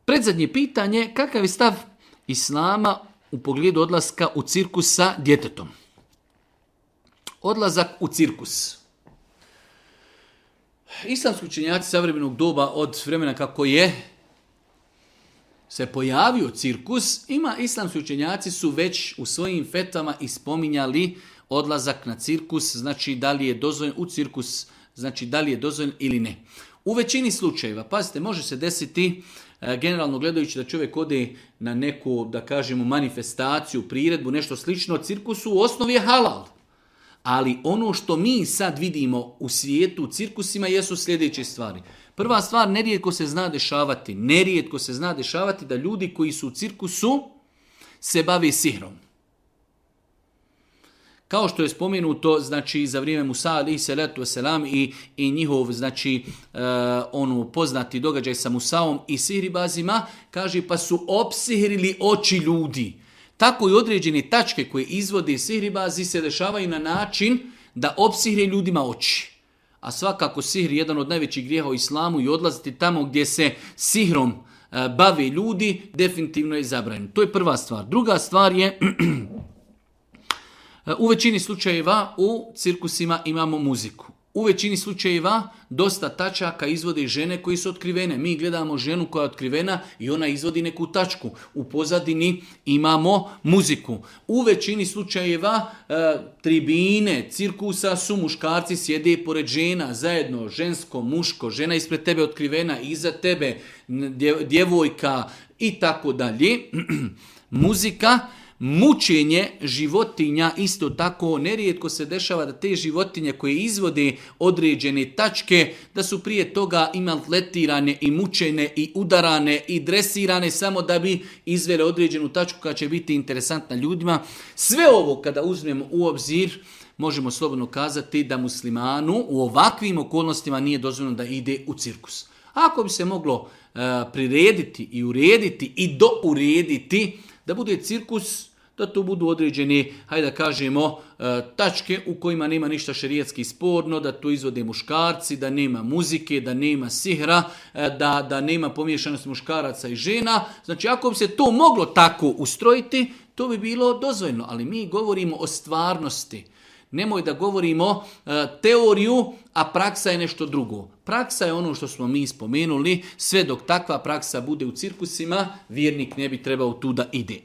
Predzadnje pitanje, kakav je stav Islama u pogledu odlaska u cirkus sa djetetom? Odlazak u cirkus. Islamski učenjaci savremenog doba od vremena kako je se pojavio cirkus, islamski učenjaci su već u svojim fetvama ispominjali odlazak na cirkus, znači da li je dozvoljen u cirkus, znači da li je dozvoljen ili ne. U većini slučajeva, pazite, može se desiti generalno gledajući da čovjek ode na neku, da kažemo, manifestaciju, priredbu, nešto slično, cirkusu u osnovi je halal. Ali ono što mi sad vidimo u svijetu, u cirkusima, jesu sljedeće stvari. Prva stvar, nerijetko se zna dešavati da ljudi koji su u cirkusu se bave sihrom. Kao što je spomenuto, znači, za vrijeme Musa alejhi salatu vesselam i njihov, znači, poznati događaj sa Musaom i sihribazima, kaže, pa su opsihrili oči ljudi. Tako i određene tačke koje izvode sihribazi se dešavaju na način da opsihre ljudima oči. A svakako sihr je jedan od najvećih grijeha u islamu i odlaziti tamo gdje se sihrom bave ljudi, definitivno je zabranjeno. To je prva stvar. Druga stvar je, u većini slučajeva u cirkusima imamo muziku. U većini slučajeva dosta tačaka izvode žene koji su otkrivene. Mi gledamo ženu koja je otkrivena i ona izvodi neku tačku. U pozadini imamo muziku. U većini slučajeva tribine cirkusa su muškarci sjede pored žena, zajedno žensko, muško, žena ispred tebe otkrivena, iza tebe djevojka i tako dalje. Muzika. Mučenje životinja isto tako, nerijetko se dešava da te životinje koje izvode određene tačke, da su prije toga i maltretirane i mučene i udarane i dresirane samo da bi izvele određenu tačku koja će biti interesantna ljudima. Sve ovo kada uzmemo u obzir, možemo slobodno kazati da muslimanu u ovakvim okolnostima nije dozvoljeno da ide u cirkus. Ako bi se moglo prirediti i urediti i dourediti da bude cirkus, da to budu određeni, hajde da kažemo, tačke u kojima nema ništa šerijatski sporno, da to izvode muškarci, da nema muzike, da nema sihra, da nema pomiješanosti muškaraca i žena. Znači, ako bi se to moglo tako ustrojiti, to bi bilo dozvoljeno. Ali mi govorimo o stvarnosti. Nemoj da govorimo teoriju, a praksa je nešto drugo. Praksa je ono što smo mi spomenuli. Sve dok takva praksa bude u cirkusima, vjernik ne bi trebao tu da ide.